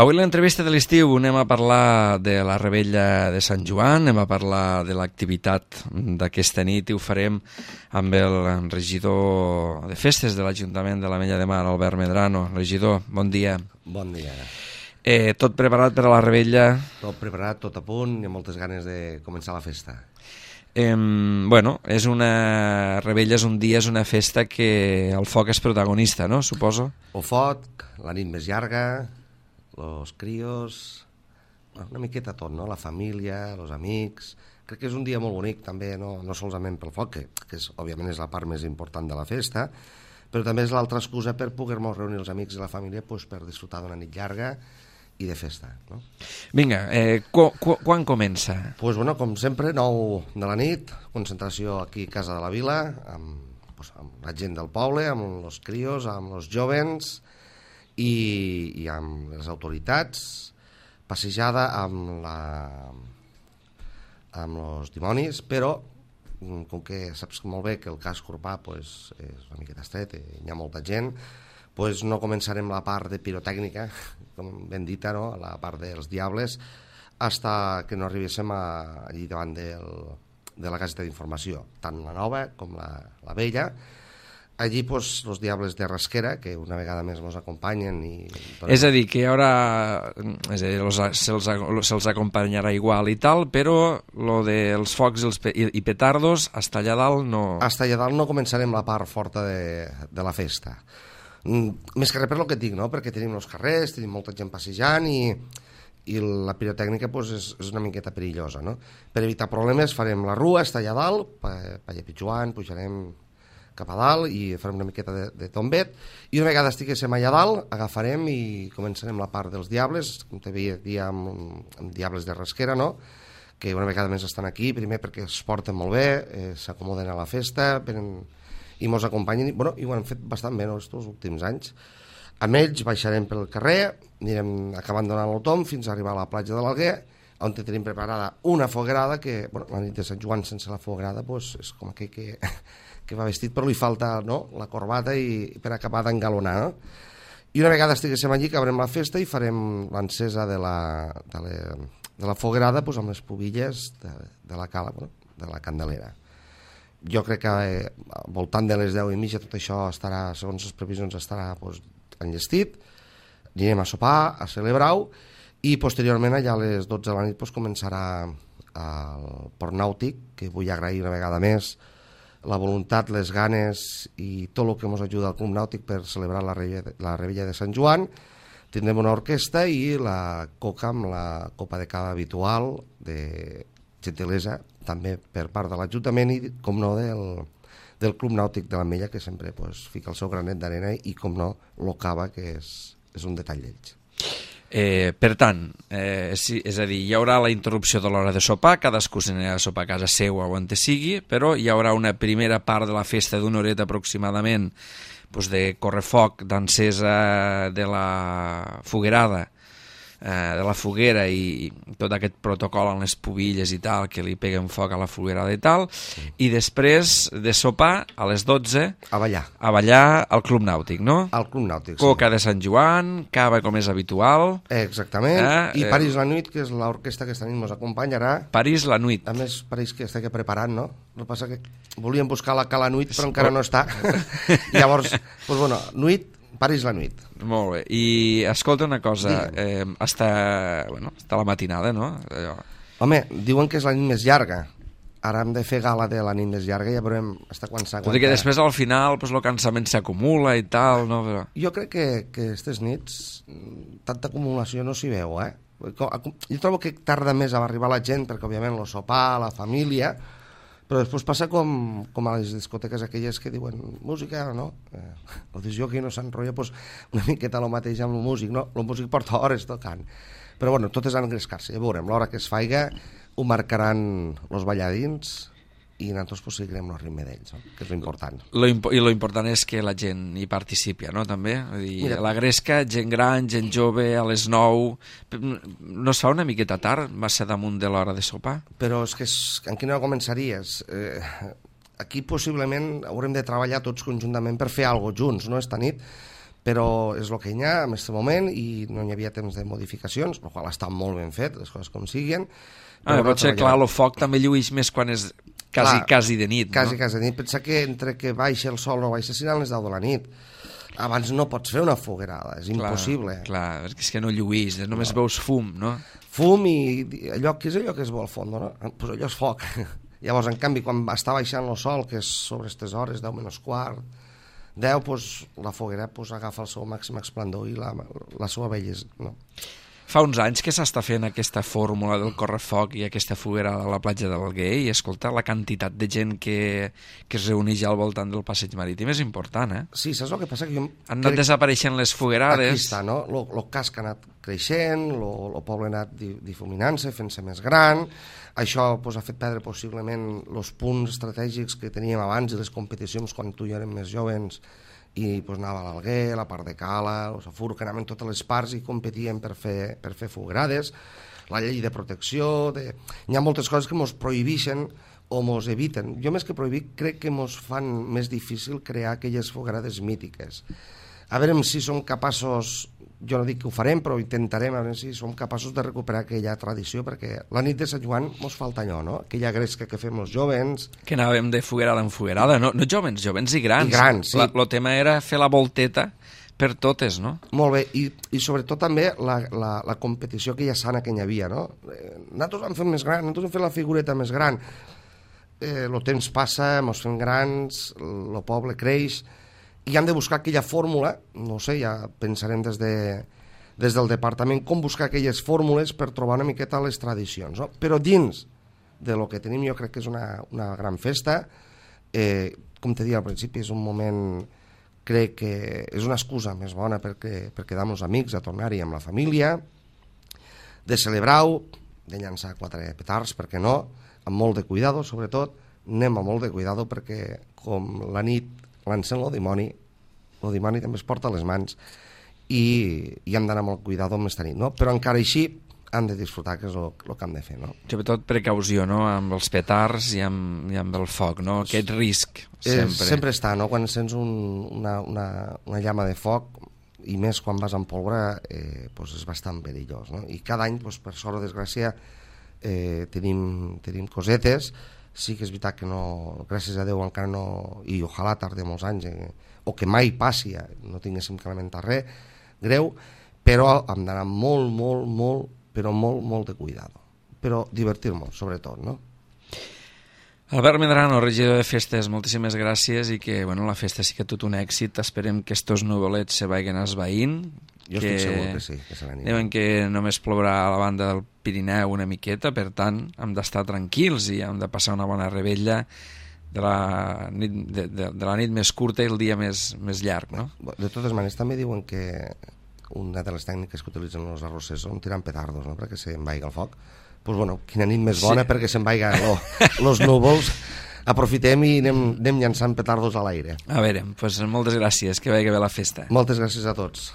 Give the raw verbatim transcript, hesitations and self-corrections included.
Avui l'entrevista de l'estiu anem a parlar de la Revetlla de Sant Joan, anem a parlar de l'activitat d'aquesta nit i ho farem amb el regidor de festes de l'Ajuntament de l'Ametlla de Mar, Albert Medrano. Regidor, bon dia. Bon dia. Eh, tot preparat per a la Revetlla? Tot preparat, tot a punt i amb moltes ganes de començar la festa. Eh, bueno, és una Revetlla, és un dia, és una festa que el foc és protagonista, no? Suposo. El foc, la nit més llarga, los crios, una miqueta tot, no? La família, els amics. Crec que és un dia molt bonic també, no, no solament pel foc, que, que és, òbviament és la part més important de la festa, però també és l'altra excusa per poder-nos reunir els amics i la família pues, per disfrutar d'una nit llarga i de festa. No? Vinga, eh, qu qu quan comença? Pues, bueno, com sempre, nou de la nit, concentració aquí a Casa de la Vila, amb, pues, amb la gent del poble, amb els crios, amb els jovens i, i amb les autoritats, passejada amb la amb els dimonis, però com que saps molt bé que el casc urbà pues, és una miqueta estret, hi ha molta gent, pues no començarem la part de pirotècnica, com ben dita, no? La part dels diables, fins que no arribéssim a, allí davant del, de la caseta d'informació, tant la nova com la, la vella. Allí, pues, els diables de Rasquera, que una vegada més ens acompanyen. I... És a dir, que hi haurà... És a dir, se'ls se acompanyarà igual i tal, però lo dels focs i, els pe i, i petardos, hasta allà dalt no... Hasta allà dalt no començarem la part forta de, de la festa. Més que res per el que et dic, no? Perquè tenim els carrers, tenim molta gent passejant i, i la pirotècnica pues, és, és una miqueta perillosa, no? Per evitar problemes farem la rua, hasta allà dalt, pa, pa allà pitjant, pujarem cap a dalt i farem una miqueta de, de tombet i una vegada estiguéssim allà dalt agafarem i començarem la part dels diables, com t'havia dit amb, amb diables de Rasquera, no? Que una vegada més estan aquí, primer perquè es porten molt bé, eh, s'acomoden a la festa venen, i mos acompanyen i, bueno, i ho han fet bastant bé no, els últims anys. Amb ells baixarem pel carrer, anirem acabant donant el tom fins a arribar a la platja de l'Alguer, on tenim preparada una foguerada que, bueno, la nit de Sant Joan sense la foguerada pues, és com aquell que, que va vestit però li falta no? La corbata i per acabar d'engalonar. No? I una vegada estiguéssim allí acabarem la festa i farem l'encesa de, la, de, la, de la foguerada pues, amb les pubilles de, de la cala, bueno, de la candelera. Jo crec que eh, al voltant de les deu i mitja tot això estarà, segons les previsions, estarà pues, enllestit, anirem a sopar, a celebrar-ho, i posteriorment allà a les dotze de la nit pues, començarà el port nàutic, que vull agrair una vegada més la voluntat, les ganes i tot el que ens ajuda al Club Nàutic per celebrar la Revetlla, la Revetlla de Sant Joan. Tindrem una orquestra i la coca amb la copa de cava habitual de gentilesa, també per part de l'Ajuntament i, com no, del, del Club Nàutic de l'Ametlla, que sempre pues, fica el seu granet d'arena i, com no, lo cava, que és, és un detall d'ells. Eh, per tant, eh, sí, és a dir, hi haurà la interrupció de l'hora de sopar, cadascú s'anirà a sopar a casa seva o on te sigui, però hi haurà una primera part de la festa d'una horeta aproximadament doncs de correfoc, d'encesa de la foguerada, eh, de la foguera i, i tot aquest protocol en les pubilles i tal, que li peguen foc a la foguerada i tal, sí. I després de sopar, a les dotze, a ballar, a ballar al Club Nàutic, no? Al Club Nàutic, sí. Coca de Sant Joan, cava com és habitual. Exactament, eh? I París la Nuit, que és l'orquestra que esta nit ens acompanyarà. París la Nuit. A més, París que està preparant, no? El que passa que volíem buscar la Cala Nuit, però encara no està. Llavors, doncs bueno, Nuit, París la Nuit. Molt bé. I escolta una cosa, eh, està, bueno, està la matinada, no? Allò. Home, diuen que és la nit més llarga. Ara hem de fer gala de la nit més llarga i ja veurem fins quan s'aguanta. Tot i que després al final pues, el cansament s'acumula i tal, no? Però... Jo crec que, que aquestes nits tanta acumulació no s'hi veu, eh? Jo trobo que tarda més a arribar la gent perquè òbviament el sopar, la família, però després passa com, com a les discoteques aquelles que diuen música, no? Eh, el disjockey no s'enrotlla pues, una miqueta el mateix amb el músic, no? El músic porta hores tocant. Però bueno, tot és engrescar-se, ja veurem, l'hora que es faiga ho marcaran els balladins i nosaltres pues, seguirem el ritme d'ells, no? Que és l'important. Lo imp I l'important és que la gent hi participi, no? També. Dir, Mira, la gresca, gent gran, gent jove, a les nou... No es fa una miqueta tard, massa damunt de l'hora de sopar? Però és que és, en quina hora començaries? Eh, aquí possiblement haurem de treballar tots conjuntament per fer alguna cosa junts, no? Esta nit, però és el que hi ha en aquest moment i no hi havia temps de modificacions, el qual està molt ben fet, les coses com siguen. Ah, però potser, clar, el foc també llueix més quan és quasi, clar, quasi de nit, quasi, no? Quasi de nit. Pensa que entre que baixa el sol o baixa seran les deu de la nit. Abans no pots fer una foguerada, és clar, impossible. Clar, perquè és que no lluís, només no. veus fum, no? Fum i allò que és allò que es vol al fons, no? Pues allò és foc. Llavors, en canvi, quan està baixant el sol, que és sobre aquestes hores, deu menys quart, deu, pues, la foguera pues, agafa el seu màxim esplendor i la, la seva bellesa, no? Fa uns anys que s'està fent aquesta fórmula del correfoc i aquesta foguera a la platja d'Alguer i, escolta, la quantitat de gent que, que es reuneix al voltant del passeig marítim és important, eh? Sí, saps el que passa? Que jo Han anat desapareixent les foguerades. Aquí està, no? El casc ha anat creixent, el poble ha anat difuminant-se, fent-se més gran. Això pues, ha fet perdre possiblement els punts estratègics que teníem abans i les competicions quan tu i jo érem més jovens i pues, anava a l'Alguer, la part de Cala, el Safur, que anaven totes les parts i competien per fer, per fer foguerades, la llei de protecció, de... hi ha moltes coses que ens prohibeixen o ens eviten. Jo més que prohibir crec que ens fan més difícil crear aquelles foguerades mítiques. A veure si som capaços, jo no dic que ho farem, però intentarem a veure si som capaços de recuperar aquella tradició, perquè la nit de Sant Joan ens falta allò, no? Aquella gresca que fem els jovens. Que anàvem de foguerada en foguerada, no, no jovens, jovens i grans. I grans, sí. El tema era fer la volteta per totes, no? Molt bé, i, i sobretot també la, la, la competició aquella sana que hi havia, no? Eh, nosaltres vam fer més gran, nosaltres vam fer la figureta més gran. Eh, el temps passa, ens fem grans, el poble creix, i hem de buscar aquella fórmula, no sé, ja pensarem des, de, des del departament com buscar aquelles fórmules per trobar una miqueta les tradicions, no? Però dins de lo que tenim jo crec que és una, una gran festa, eh, com te deia al principi, és un moment, crec que és una excusa més bona perquè, per quedar amb els amics, a tornar-hi amb la família, de celebrar-ho, de llançar quatre petards, perquè no, amb molt de cuidado, sobretot, anem amb molt de cuidado perquè com la nit lancen el dimoni, el dimoni també es porta a les mans i, i hem d'anar amb el cuidado amb esta nit, no? Però encara així han de disfrutar, que és el, el que hem de fer, no? Sobretot precaució, no?, amb els petards i amb, i amb el foc, no? Aquest risc, sempre. Eh, sempre està, no?, quan sents un, una, una, una llama de foc, i més quan vas amb pólvora, eh, pues és bastant perillós, no? I cada any, pues, per sort o desgràcia, eh, tenim, tenim cosetes. Sí que és veritat que no, gràcies a Déu encara no, i ojalà tardi molts anys, eh, o que mai passi, no tinguéssim que lamentar res greu, però hem d'anar molt, molt, molt, però molt, molt de cuidado. Però divertir-nos, sobretot, no? Albert Medrano, regidor de Festes, moltíssimes gràcies i que, bueno, la festa sí que tot un èxit. Esperem que estos nuvolets se vagin esvaint. Jo que... estic segur que sí, que se n'aniran. Diuen que només plourà a la banda del Pirineu una miqueta, per tant, hem d'estar tranquils i hem de passar una bona rebella de la nit, de, de, de la nit més curta i el dia més, més llarg, no? De totes maneres, també diuen que una de les tècniques que utilitzen els arrossers són tirant petardos, no?, perquè se'n vaiga el foc. Doncs, pues, bueno, quina nit més bona, sí, perquè se'n vaiga els núvols. Aprofitem i anem, anem llançant petardos a l'aire. A veure, doncs moltes gràcies, que vagi bé la festa. Moltes gràcies a tots.